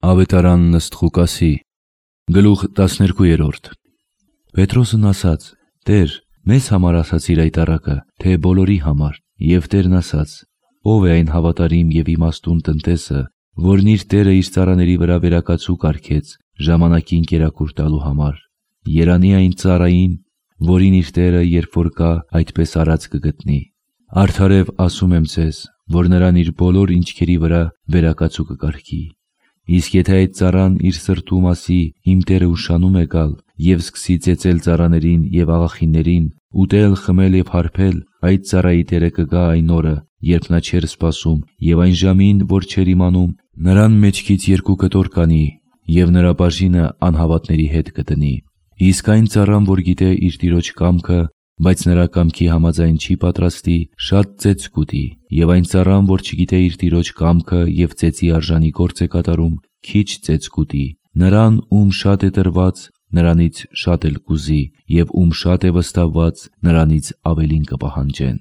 Ավետարանն ըստ Ղուկասի, գլուխ 12։ Պետրոսն ասաց. «Տեր, մեզ համար ասացիր այդ առակը, թե բոլորի համար»։ Եվ Տերն ասաց. «Ո՞վ է այն հավատարիմ և իմաստուն տնտեսը, որն իր տերը իր ծառաների վրա վերակացու կարգեց ժամանակին կերակուր տալու համար։ Երանի այն ծառային, որին իր տերը, երբ որ գա, այդպես արած կգտնի։ Արդարև ասում եմ ձեզ, որ նրան իր բոլոր ինչքերի վրա վերակացու կկարգի։ Իսկ եթե այդ ծառան իր սրտում ասի. «Իմ տերը ուշանում է գալ», և սկսի ծեծել ծառաներին և աղախիններին, ուտել, խմել և հարբել, այդ ծառայի տերը կգա այն օրը, երբ նա չէր սպասում, և այն ժամին, որ չէր իմանում, նրան մեջքից 2 կտոր կանի, և նրա բաժինը անհավատների հետ կդնի։ Իսկ այն ծառան, որ գիտե իր տիրոջ կամքը, բայց նրա կամքի համաձայն չի պատրաստի, շատ ծեծ կուտի։ Եվ այն ծառան, որ չգիտե իր տիրոջ կամքը և ծեծի արժանի գործ է կատարում, քիչ ծեծ կուտի։ Նրան, ում շատ է տրված, նրանից շատ էլ կուզի, և ում շատ է վստահված, նրանից ավելին կպահանջեն»։